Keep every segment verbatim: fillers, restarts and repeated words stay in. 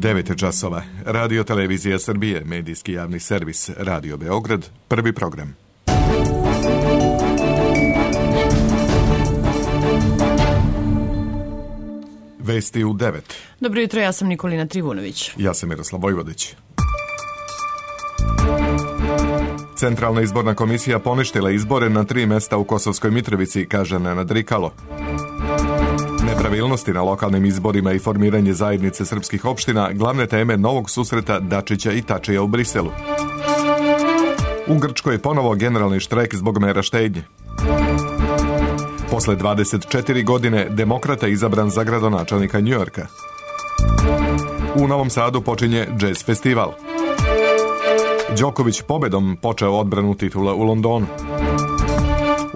devet časova. Radio Televizija Srbije, medijski javni servis, Radio Beograd, prvi program. Vesti u devet. Dobro jutro, ja sam Nikolina Trivunović. Ja sam Miroslav Vojvodić. Centralna izborna komisija poništila izbore na tri mesta u Kosovskoj Mitrovici, kaže Nenad Rikalo. Nepravilnosti na lokalnim izborima i formiranje zajednice srpskih opština glavne teme novog susreta Dačića i Tačija u Briselu. U Grčkoj je ponovo generalni štrajk zbog mera štednje. Posle dvadeset četiri godine demokrata izabran za gradonačelnika Njujorka. U Novom Sadu počinje džez festival. Đoković pobedom počeo odbranu titula u Londonu.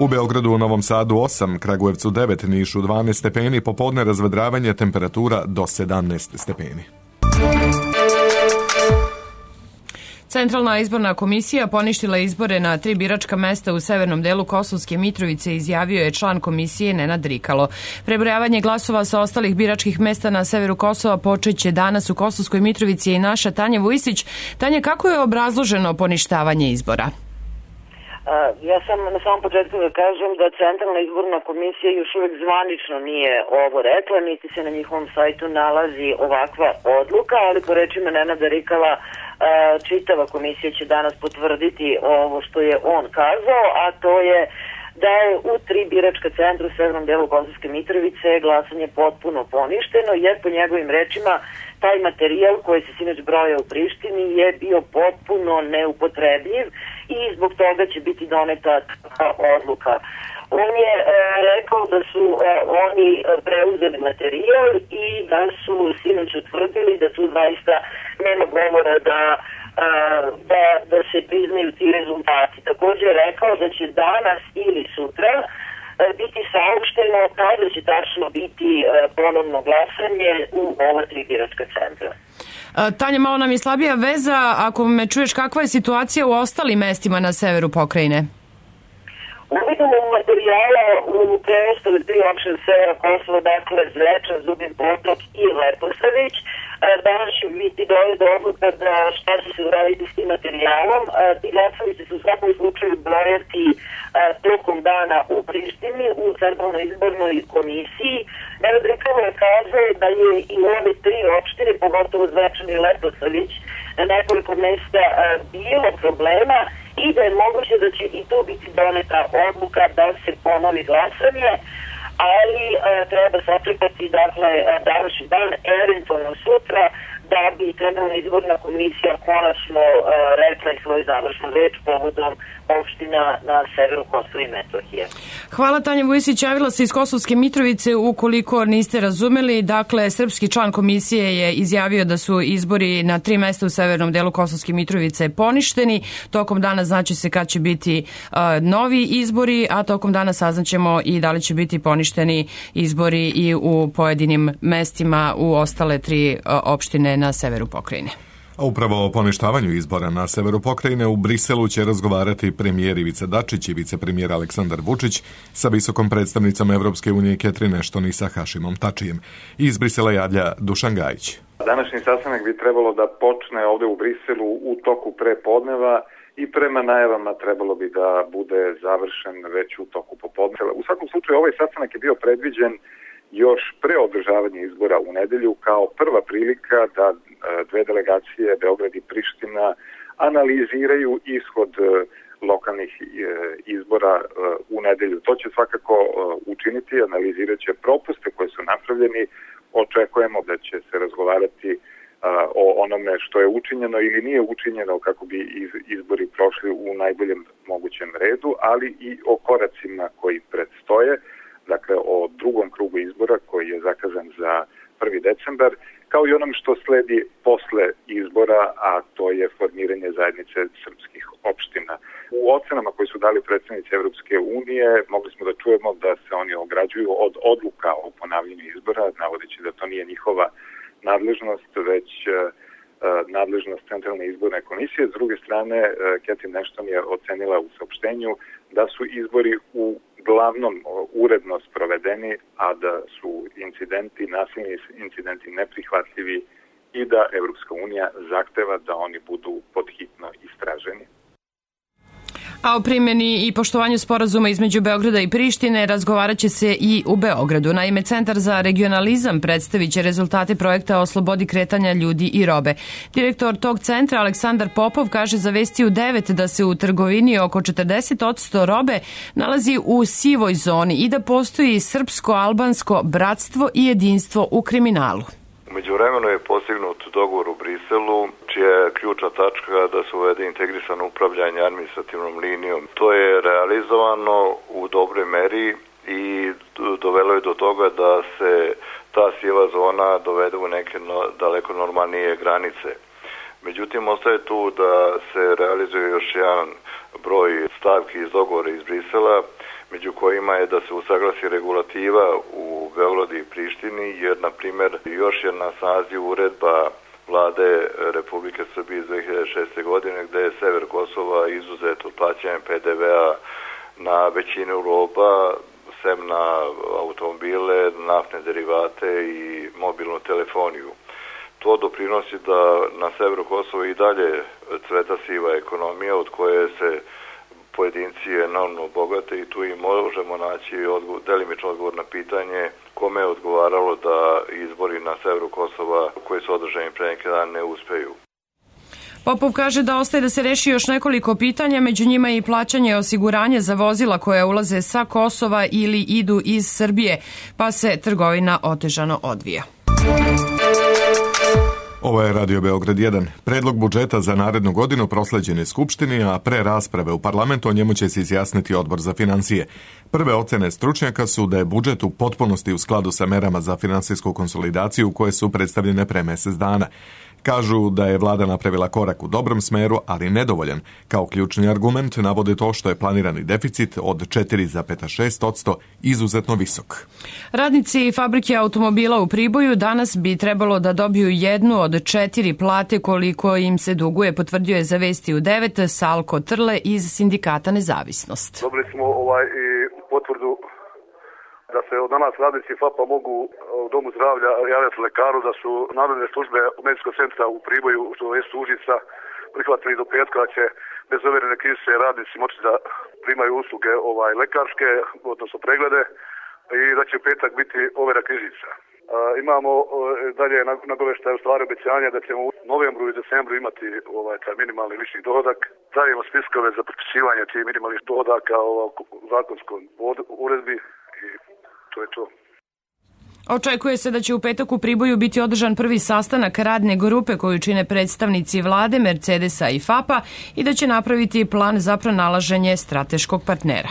U Beogradu, u Novom Sadu osam, Kragujevcu devet, Nišu dvanaest stepeni, popodne razvedravanje, temperatura do sedamnaest stepeni. Centralna izborna komisija poništila izbore na tri biračka mesta u severnom delu Kosovske Mitrovice, izjavio je član komisije Nenad Rikalo. Prebrojavanje glasova sa ostalih biračkih mesta na severu Kosova počeće danas u Kosovskoj Mitrovici i naša Tanja Vujsić. Tanja, kako je obrazloženo poništavanje izbora? Ja sam na samom početku da kažem da Centralna izborna komisija još uvijek zvanično nije ovo rekla, niti se na njihovom sajtu nalazi ovakva odluka, ali po rečima Nenada Rikala čitava komisija će danas potvrditi ovo što je on kazao, a to je da je u tri biračka centra u severnom delu Kosovske Mitrovice glasanje potpuno poništeno, jer po njegovim rečima taj materijal koji se sinoć broja u Prištini je bio potpuno neupotrebljiv i zbog toga će biti doneta odluka. On je e, rekao da su e, oni preuzeli materijal i da su sinoć utvrdili da tu zaista nema govora da, a, da, da se priznaju ti rezultati. Također je rekao da će danas ili sutra a, biti saopšteno kada će tačno biti a, ponovno glasanje u ova tri biračka centra. Tanja, malo nam je slabija veza. Ako me čuješ, kakva je situacija u ostalim mestima na severu pokrajine? Uvidimo materijala u preostale tri opštine severa Kosova, dakle Zvečan, Zubin Potok i Leposavić. Danas će biti dojeta odluka da šta će se uraditi s tim materijalom. Ti glasovi će se u svakom slučaju brojati tokom dana u Prištini, u Centralnoj izbornoj komisiji. Nenad Rikalo je kazao da je i ove tri opštine, pogotovo Zvečan i Leposavić, na nekoliko mesta bilo problema i da je moguće da će i tu biti doneta odluka da se ponovi glasanje, ali e, treba sačekati dakle današnji dan, eventualno sutra, da bi Centralna izborna komisija konačno e, rekla i svoju završnu reč povodom opština na severu Kosova i Metohije. Hvala, Tanja Vujsić. Javila se iz Kosovske Mitrovice. Ukoliko niste razumeli, dakle, srpski član komisije je izjavio da su izbori na tri mesta u severnom delu Kosovske Mitrovice poništeni. Tokom dana znači se kad će biti uh, novi izbori, a tokom dana saznaćemo i da li će biti poništeni izbori i u pojedinim mestima u ostale tri uh, opštine na severu pokrajine. A upravo o poništavanju izbora na severu pokrajine u Briselu će razgovarati premijer Ivica Dačić i vicepremijer Aleksandar Vučić sa visokom predstavnicom Evropske unije Catherine Ashton i sa Hašimom Tačijem. Iz Brisela javlja Dušan Gajić. Današnji sastanak bi trebalo da počne ovde u Briselu u toku prepodneva i prema najavama trebalo bi da bude završen već u toku popodneva. U svakom slučaju ovaj sastanak je bio predviđen još pre održavanja izbora u nedelju kao prva prilika da dve delegacije, Beograd i Priština, analiziraju ishod lokalnih izbora u nedelju. To će svakako učiniti, analizirat će propuste koji su napravljeni. Očekujemo da će se razgovarati o onome što je učinjeno ili nije učinjeno kako bi izbori prošli u najboljem mogućem redu, ali i o koracima koji predstoje, dakle o drugom krugu izbora koji je zakazan za prvi decembar, kao i onom što sledi posle izbora, a to je formiranje zajednice srpskih opština. U ocenama koje su dali predstavnici Evropske unije mogli smo da čujemo da se oni ograđuju od odluka o ponavljanju izbora, navodeći da to nije njihova nadležnost, već nadležnost Centralne izborne komisije. S druge strane, Catherine Ashton je ocenila u saopštenju da su izbori u glavnom uredno sprovedeni, a da su incidenti, nasilni incidenti neprihvatljivi i da Evropska unija zahteva da oni budu podhitno istraženi. A o primjeni i poštovanju sporazuma između Beograda i Prištine razgovarat će se i u Beogradu. Naime, Centar za regionalizam predstavit će rezultate projekta o slobodi kretanja ljudi i robe. Direktor tog centra, Aleksandar Popov, kaže za Vesti u devet da se u trgovini oko četrdeset posto robe nalazi u sivoj zoni i da postoji srpsko-albansko bratstvo i jedinstvo u kriminalu. Umeđu vremenu je postignut dogovor u Briselu, čija je ključna tačka da se uvede integrisano upravljanje administrativnom linijom. To je realizovano u dobroj meri i dovelo je do toga da se ta siva zona dovede u neke no, daleko normalnije granice. Međutim, ostaje tu da se realizuje još jedan broj stavki iz dogovora iz Brisela, među kojima je da se usaglasi regulativa u Beogradu i Prištini, jer, na primjer, još je na snazi uredba Vlade Republike Srbije iz dve hiljade šeste. godine, gde je sever Kosova izuzet od plaćanja P D V-a na većinu roba, sem na automobile, naftne derivate i mobilnu telefoniju. To doprinosi da na severu Kosova i dalje cveta siva ekonomija, od koje se pojedinci enormno bogate, i tu i možemo naći odgovor, delimično odgovor na pitanje kome je odgovaralo da izbori na severu Kosova koji su održani pre neki dan ne uspeju. Popov kaže da ostaje da se reši još nekoliko pitanja, među njima i plaćanje osiguranja za vozila koja ulaze sa Kosova ili idu iz Srbije, pa se trgovina otežano odvija. Ovo je Radio Beograd jedan. Predlog budžeta za narednu godinu prosleđen je Skupštini, a pre rasprave u parlamentu o njemu će se izjasniti Odbor za finansije. Prve ocene stručnjaka su da je budžet u potpunosti u skladu sa merama za finansijsku konsolidaciju koje su predstavljene pre mesec dana. Kažu da je vlada napravila korak u dobrom smeru, ali nedovoljan. Kao ključni argument navode to što je planirani deficit od četiri zarez šest posto izuzetno visok. Radnici fabrike automobila u Priboju danas bi trebalo da dobiju jednu od četiri plate koliko im se duguje, potvrdio je za Vesti u devet Salko Trle iz Sindikata Nezavisnost. Dobili smo ovaj i potvrdu da se od danas radnici F A P-a mogu u domu zdravlja javljati lekaru, da su nadležne službe medicinskog centra u Priboju, što je Užica, prihvatili do petka da će bez overene knjižice radnici moći da primaju usluge ovaj lekarske, odnosno preglede, i da će u petak biti overa knjižica. E, imamo e, dalje nagoveštaje, u stvari obećanja da ćemo u novembru i decembru imati ovaj taj minimalni lični dohodak. Dajemo spiskove za potpisivanje tih minimalnih dohodaka u zakonskom uredbi i to je to. Očekuje se da će u petak u Priboju biti održan prvi sastanak radne grupe koju čine predstavnici vlade, Mercedesa i F A P-a i da će napraviti plan za pronalaženje strateškog partnera.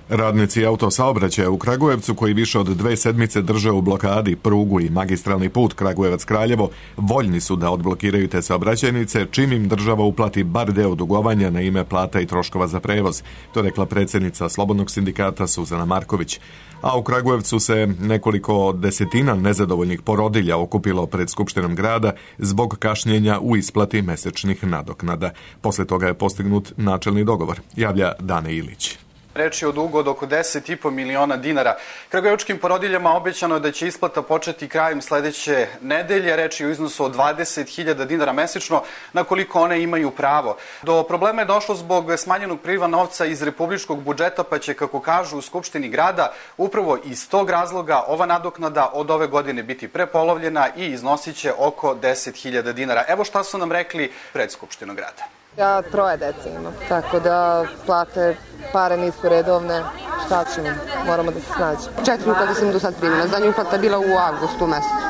Radnici autosaobraćaja u Kragujevcu, koji više od dve sedmice drže u blokadi prugu i magistralni put Kragujevac-Kraljevo, voljni su da odblokiraju te saobraćajnice čim im država uplati bar deo dugovanja na ime plata i troškova za prevoz. To rekla predsjednica Slobodnog sindikata Suzana Marković. A u Kragujevcu se nekoliko desetina nezadovoljnih porodilja okupilo pred Skupštinom grada zbog kašnjenja u isplati mesečnih nadoknada. Posle toga je postignut načelni dogovor, javlja Dane Ilić. Reč je o dugu od oko deset i po miliona dinara. Kragujevačkim porodiljama obećano je da će isplata početi krajem sledeće nedelje. Reč je o iznosu od dvadeset hiljada dinara mesečno, na koliko one imaju pravo. Do problema je došlo zbog smanjenog priliva novca iz republičkog budžeta, pa će, kako kažu u Skupštini grada, upravo iz tog razloga ova nadoknada od ove godine biti prepolovljena i iznosit će oko deset hiljada dinara. Evo šta su nam rekli pred Skupštinom grada. Ja troje dece imam, tako da plate, pare nisu redovne, šta ćemo, moramo da se snađe. Četiri uplate sam do sad primila, zadnja uplata je bila u avgustu mesecu,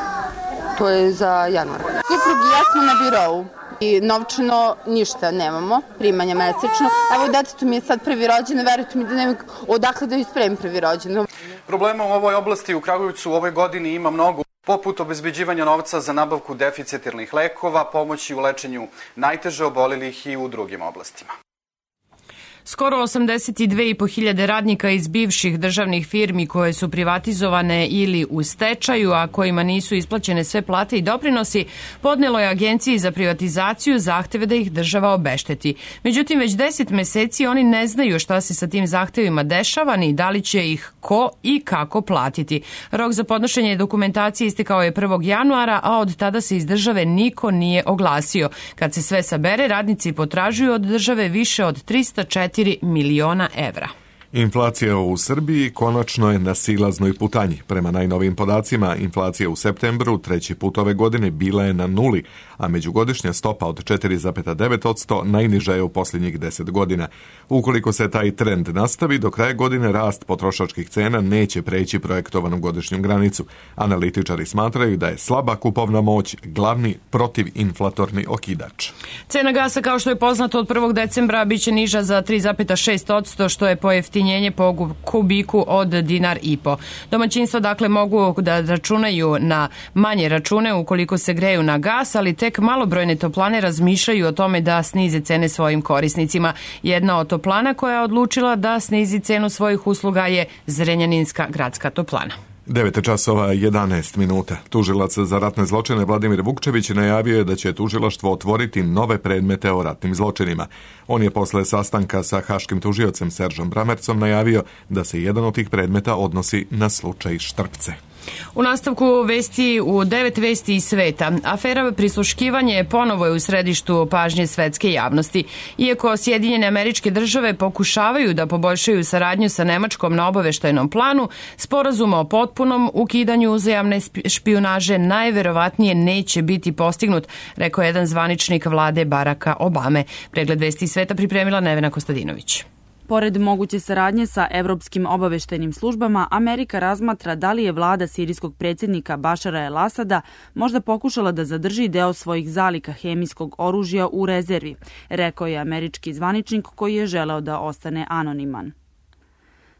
to je za januar. Suprug i ja smo na birovu i novčano ništa nemamo, primanja mesečno. Evo, detetu mi je sad prvi rođen, verujte mi da nemam odakle da ispremim prvi rođen. Problema u ovoj oblasti u Kragujevcu u ovoj godini ima mnogo, poput obezbeđivanja novca za nabavku deficitarnih lekova, pomoći u lečenju najteže obolelih i u drugim oblastima. Skoro osamdeset dve i po hiljade radnika iz bivših državnih firmi koje su privatizovane ili u stečaju, a kojima nisu isplaćene sve plate i doprinosi, podnelo je Agenciji za privatizaciju zahteve da ih država obešteti. Međutim, već deset meseci oni ne znaju šta se sa tim zahtevima dešava ni da li će ih ko i kako platiti. Rok za podnošenje dokumentacije istekao je prvog januara, a od tada se iz države niko nije oglasio. Kad se sve sabere, radnici potražuju od države više od trista četiri miliona evra. Inflacija u Srbiji konačno je na silaznoj putanji. Prema najnovijim podacima, inflacija u septembru treći put ove godine bila je na nuli, a međugodišnja stopa od četiri zarez devet posto najniža je u posljednjih deset godina. Ukoliko se taj trend nastavi, do kraja godine rast potrošačkih cena neće preći projektovanu godišnju granicu. Analitičari smatraju da je slaba kupovna moć glavni protivinflatorni okidač. Cena gasa, kao što je poznato, od prvog decembra biće niža za tri zarez šest posto, što je pojeftinjenje po kubiku od dinar i po. Domaćinstva dakle mogu da računaju na manje račune ukoliko se greju na gas, ali tek malobrojne toplane razmišljaju o tome da snize cene svojim korisnicima. Jedna od toplana koja je odlučila da snizi cenu svojih usluga je Zrenjaninska gradska toplana. devet časova jedanaest minuta. Tužilac za ratne zločine Vladimir Vukčević najavio je da će tužilaštvo otvoriti nove predmete o ratnim zločinima. On je posle sastanka sa haškim tužiocem Seržom Bramercom najavio da se jedan od tih predmeta odnosi na slučaj Štrpce. U nastavku vesti u devet vesti iz sveta. Afera prisluškivanje ponovo je u središtu pažnje svetske javnosti. Iako Sjedinjene Američke Države pokušavaju da poboljšaju saradnju sa Nemačkom na obaveštajnom planu, sporazum o potpunom ukidanju uzajamne špijunaže najverovatnije neće biti postignut, rekao je jedan zvaničnik vlade Baracka Obame. Pregled vesti iz sveta pripremila Nevena Kostadinović. Pored moguće saradnje sa evropskim obaveštajnim službama, Amerika razmatra da li je vlada sirijskog predsjednika Bašara el Asada možda pokušala da zadrži deo svojih zaliha hemijskog oružja u rezervi, rekao je američki zvaničnik koji je želeo da ostane anoniman.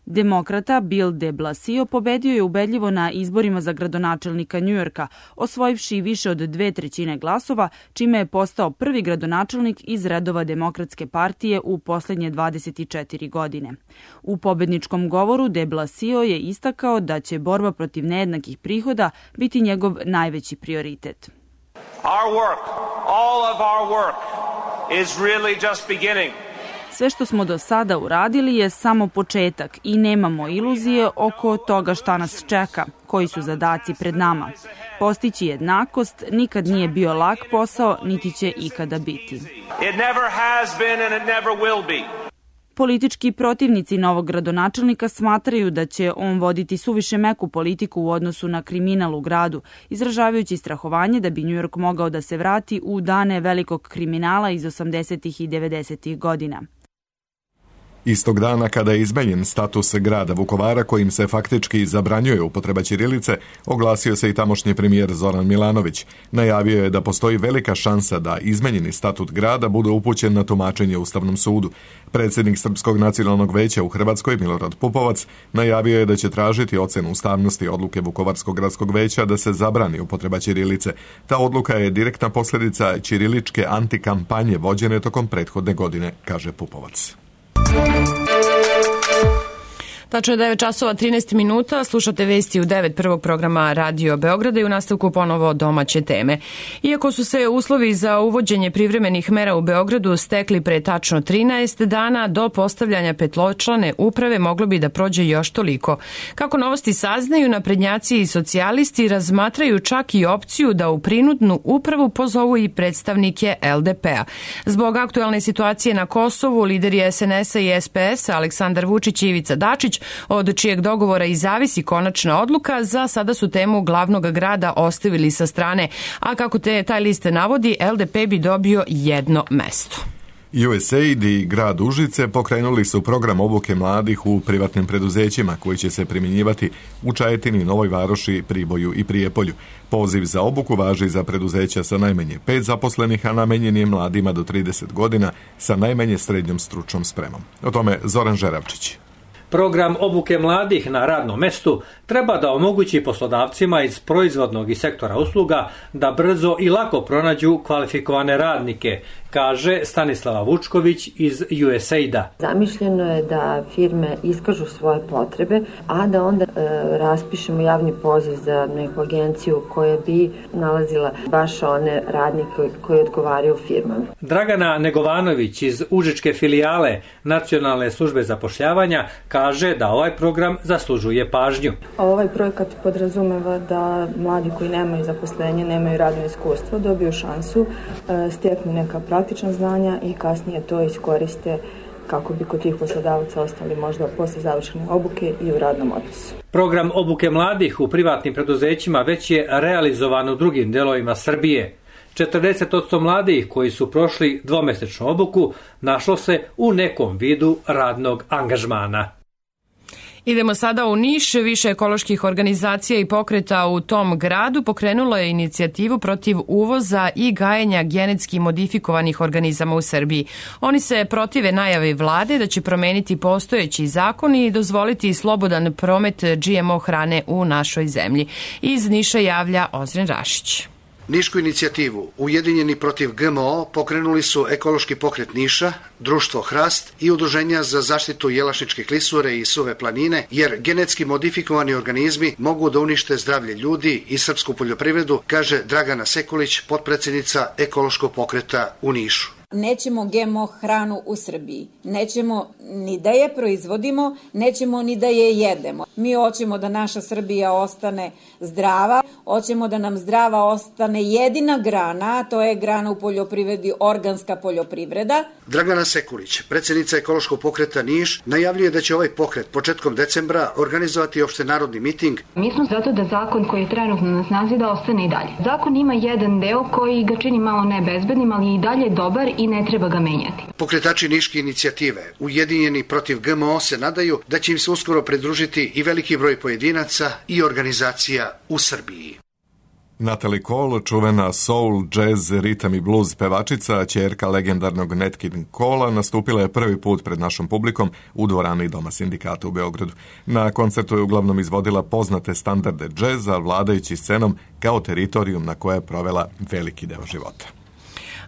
Demokrata Bill de Blasio pobedio je ubedljivo na izborima za gradonačelnika Njujorka, osvojivši više od dve trećine glasova, čime je postao prvi gradonačelnik iz redova Demokratske partije u posljednje dvadeset četiri godine. U pobedničkom govoru de Blasio je istakao da će borba protiv nejednakih prihoda biti njegov najveći prioritet. Our work, all of our work is really just beginning. Sve što smo do sada uradili je samo početak i nemamo iluzije oko toga šta nas čeka, koji su zadaci pred nama. Postići jednakost nikad nije bio lak posao, niti će ikada biti. It never has been and it never will be. Politički protivnici novog gradonačelnika smatraju da će on voditi suviše meku politiku u odnosu na kriminal u gradu, izražavajući strahovanje da bi Njujork mogao da se vrati u dane velikog kriminala iz osamdesetih i devedesetih godina. Istog dana kada je izmenjen status grada Vukovara kojim se faktički zabranjuje upotreba ćirilice, oglasio se i tamošnji premijer Zoran Milanović. Najavio je da postoji velika šansa da izmenjeni statut grada bude upućen na tumačenje Ustavnom sudu. Predsjednik Srpskog nacionalnog veća u Hrvatskoj, Milorad Pupovac, najavio je da će tražiti ocenu ustavnosti odluke Vukovarskog gradskog veća da se zabrani upotreba ćirilice. Ta odluka je direktna posljedica ćiriličke antikampanje vođene tokom prethodne godine, kaže Pupovac. Tačno je devet časova trinaest minuta, slušate vesti u devet prvog programa Radio Beograda i u nastavku ponovo domaće teme. Iako su se uslovi za uvođenje privremenih mera u Beogradu stekli pre tačno trinaest dana, do postavljanja petločlane uprave moglo bi da prođe još toliko. Kako Novosti saznaju, naprednjaci i socijalisti razmatraju čak i opciju da u prinudnu upravu pozovu i predstavnike el de pe a. Zbog aktualne situacije na Kosovu, lideri es en es a i es pe es a Aleksandar Vučić i Ivica Dačić, od čijeg dogovora i zavisi konačna odluka, za sada su temu glavnog grada ostavili sa strane, a kako te taj list navodi, el de pe bi dobio jedno mesto. U S A I D i grad Užice pokrenuli su program obuke mladih u privatnim preduzećima koji će se primjenjivati u Čajetini, Novoj Varoši, Priboju i Prijepolju. Poziv za obuku važi za preduzeća sa najmanje pet zaposlenih, a namenjen je mladima do trideset godina sa najmanje srednjom stručnom spremom. O tome Zoran Žeravčić. Program obuke mladih na radnom mestu treba da omogući poslodavcima iz proizvodnog i sektora usluga da brzo i lako pronađu kvalifikovane radnike, kaže Stanislava Vučković iz U S A I D-a. Zamišljeno je da firme iskažu svoje potrebe, a da onda e, raspišemo javni poziv za neku agenciju koja bi nalazila baš one radnike koji odgovaraju firmama. Dragana Negovanović iz Užičke filijale Nacionalne službe zapošljavanja kaže da ovaj program zaslužuje pažnju. Ovaj projekat podrazumeva da mladi koji nemaju zaposlenje, nemaju radno iskustvo, dobiju šansu, steknu neka praktična znanja i kasnije to iskoriste kako bi kod tih poslodavaca ostali možda posle završene obuke i u radnom odnosu. Program obuke mladih u privatnim preduzećima već je realizovan u drugim delovima Srbije. četrdeset posto mladih koji su prošli dvomesečnu obuku našlo se u nekom vidu radnog angažmana. Idemo sada u Niš. Više ekoloških organizacija i pokreta u tom gradu pokrenulo je inicijativu protiv uvoza i gajenja genetski modifikovanih organizama u Srbiji. Oni se protive najavi vlade da će promeniti postojeći zakon i dozvoliti slobodan promet G M O hrane u našoj zemlji. Iz Niša javlja Ozren Rašić. Nišku inicijativu Ujedinjeni protiv G M O pokrenuli su Ekološki pokret Niša, Društvo Hrast i Udruženja za zaštitu jelašničke klisure i suve planine, jer genetski modifikovani organizmi mogu da unište zdravlje ljudi i srpsku poljoprivredu, kaže Dragana Sekulić, potpredsednica Ekološkog pokreta u Nišu. Nećemo G M O hranu u Srbiji. Nećemo ni da je proizvodimo, nećemo ni da je jedemo. Mi hoćemo da naša Srbija ostane zdrava, hoćemo da nam zdrava ostane jedina grana, a to je grana u poljoprivredi, organska poljoprivreda. Dragana Sekulić, predsednica Ekološkog pokreta Niš, najavljuje da će ovaj pokret početkom decembra organizovati opštenarodni miting. Mi smo zato da zakon koji je trenutno na snazi da ostane i dalje. Zakon ima jedan deo koji ga čini malo nebezbednim, ali i dalje dobar i ne treba ga menjati. Pokretači Niške inicijative, Ujedinjeni protiv G M O, se nadaju da će im se uskoro pridružiti i veliki broj pojedinaca i organizacija u Srbiji. Natalie Cole, čuvena soul, jazz, ritam i blues pevačica, ćerka legendarnog Nat King Cole, nastupila je prvi put pred našom publikom u dvorani Doma sindikata u Beogradu. Na koncertu je uglavnom izvodila poznate standarde džeza, vladajući scenom kao teritorijum na koje je provela veliki deo života.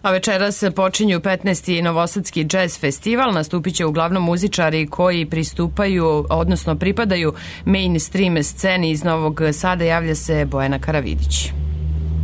A večeras počinju petnaesti Novosadski jazz festival. Nastupit će uglavnom muzičari koji pristupaju, odnosno pripadaju mainstream sceni iz Novog Sada, javlja se Bojana Karavidić.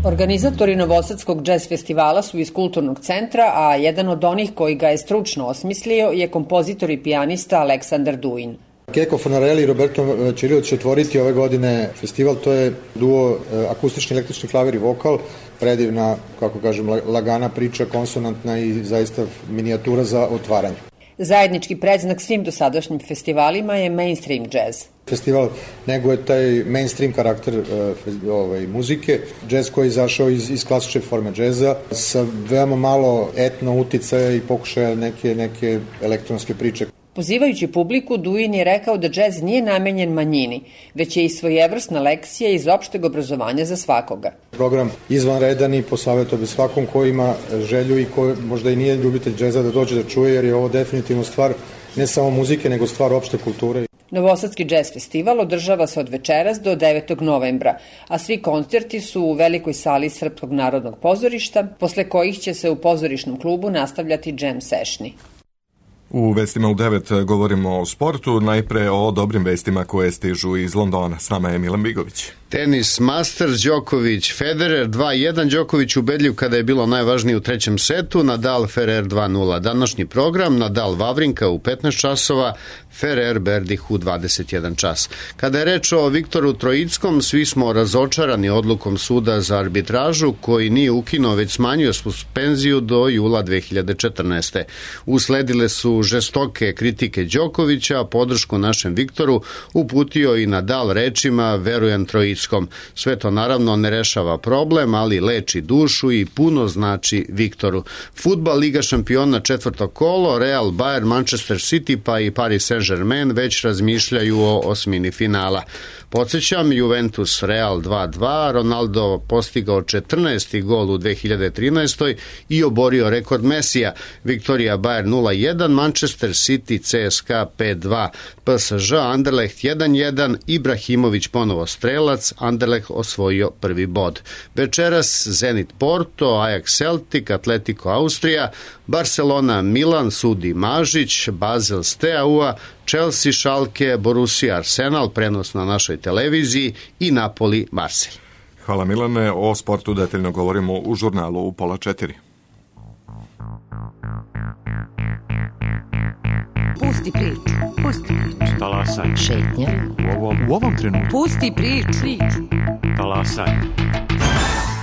Organizatori Novosadskog jazz festivala su iz Kulturnog centra, a jedan od onih koji ga je stručno osmislio je kompozitor i pijanista Aleksandar Duin. Keko Fonarelli i Roberto Ćirilo će otvoriti ove godine festival, to je duo akustični, električni klavir i vokal, predivna, kako kažem, lagana priča, konsonantna i zaista minijatura za otvaranje. Zajednički predznak svim dosadašnjim festivalima je mainstream jazz. Festival neguje taj mainstream karakter uh, ovaj, muzike, džez koji je izašao iz, iz klasične forme džeza sa veoma malo etno uticaja i pokušaja neke, neke elektronske priče. Pozivajući publiku, Duin je rekao da džez nije namenjen manjini, već je i svojevrsna lekcija iz opšteg obrazovanja za svakoga. Program izvanredan i posavjetao bi svakom ko ima želju i ko možda i nije ljubitelj džeza da dođe da čuje, jer je ovo definitivno stvar ne samo muzike, nego stvar opšte kulture. Novosadski jazz festival održava se od večeras do devetog novembra, a svi koncerti su u velikoj sali Srpskog narodnog pozorišta, posle kojih će se u pozorišnom klubu nastavljati jam sessioni. U vestima u devet govorimo o sportu, najpre o dobrim vestima koje stižu iz Londona. S nama je Milan Bigović. Tenis, Masters, Đoković, Federer dva jedan, Đoković ubedljiv kada je bilo najvažnije u trećem setu, Nadal, Ferrer dva nula. Današnji program, Nadal, Vavrinka u petnaest časova, Ferrer, Berdih u dvadeset jedan čas. Kada je reč o Viktoru Trojickom, svi smo razočarani odlukom suda za arbitražu koji nije ukinuo, već smanjio suspenziju do jula dve hiljade četrnaeste. Usledile su žestoke kritike Đokovića, a podršku našem Viktoru uputio i Nadal rečima verujem Trojickom. Splitskom. Sve to naravno ne rešava problem, ali leči dušu i puno znači Viktoru. Fudbal, Liga šampiona, četvrto kolo, Real, Bayern, Manchester City pa i Paris Saint-Germain već razmišljaju o osmini finala. Podsjećam, Juventus Real dva dva, Ronaldo postigao četrnaesti gol u dve hiljade trinaestoj i oborio rekord Mesija. Viktorija Bayern nula jedan, Manchester City C S K pet dva, P S Ž Anderlecht jedan jedan, Ibrahimović ponovo strelac, Anderlecht osvojio prvi bod. Večeras Zenit Porto, Ajax Celtic, Atletico Austrija, Barcelona Milan, sudi Mažić, Basel Steaua, Chelsea Schalke, Borussia Arsenal, prenos na našoj televiziji i Napoli Marselj. Hvala Milane, o sportu detaljno govorimo u žurnalu u pola četiri. Pusti priču, pusti priču. Talasaj. Šetnja. U ovom, u ovom trenutku. Pusti priču. priču. Talasaj.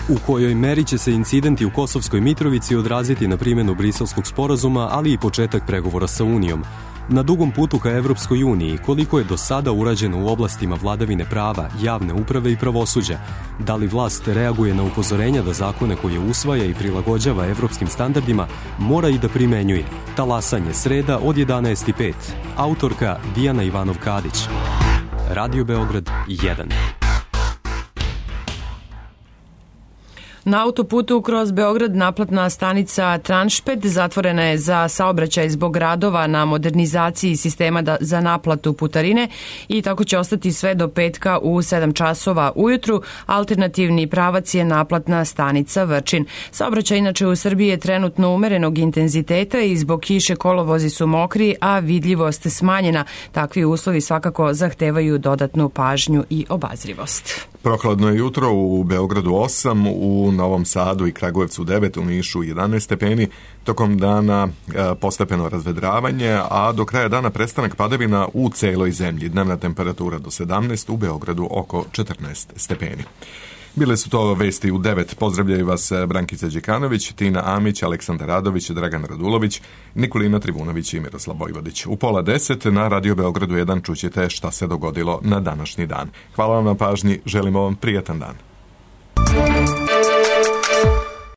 U kojoj meri će se incidenti u Kosovskoj Mitrovici odraziti na primjenu Briselskog sporazuma, ali i početak pregovora sa Unijom. Na dugom putu ka Evropskoj uniji, koliko je do sada urađeno u oblastima vladavine prava, javne uprave i pravosuđa? Da li vlast reaguje na upozorenja da zakone koje usvaja i prilagođava evropskim standardima mora i da primenjuje? Talasanje, sreda od jedanaest i pet. Autorka Dijana Ivanov-Kadić. Radio Beograd jedan. Na autoputu kroz Beograd naplatna stanica Tranšpet zatvorena je za saobraćaj zbog radova na modernizaciji sistema da, za naplatu putarine i tako će ostati sve do petka u sedam časova ujutru. Alternativni pravac je naplatna stanica Vrčin. Saobraćaj inače u Srbiji je trenutno umerenog intenziteta i zbog kiše kolovozi su mokri, a vidljivost smanjena. Takvi uslovi svakako zahtevaju dodatnu pažnju i obazrivost. Prokladno je jutro u Beogradu osam, u Novom Sadu i Kragujevcu devet, u Nišu jedanaest stepeni, tokom dana e, postepeno razvedravanje, a do kraja dana prestanak padavina u celoj zemlji. Dnevna temperatura do sedamnaest, u Beogradu oko četrnaest stepeni. Bile su to vesti u devet. Pozdravljaju vas Brankica Đekanović, Tina Amić, Aleksandar Radović, Dragan Radulović, Nikolina Trivunović i Miroslav Vojvodić. U pola deset na Radio Beogradu jedan čućete šta se dogodilo na današnji dan. Hvala vam na pažnji, želimo vam prijatan dan.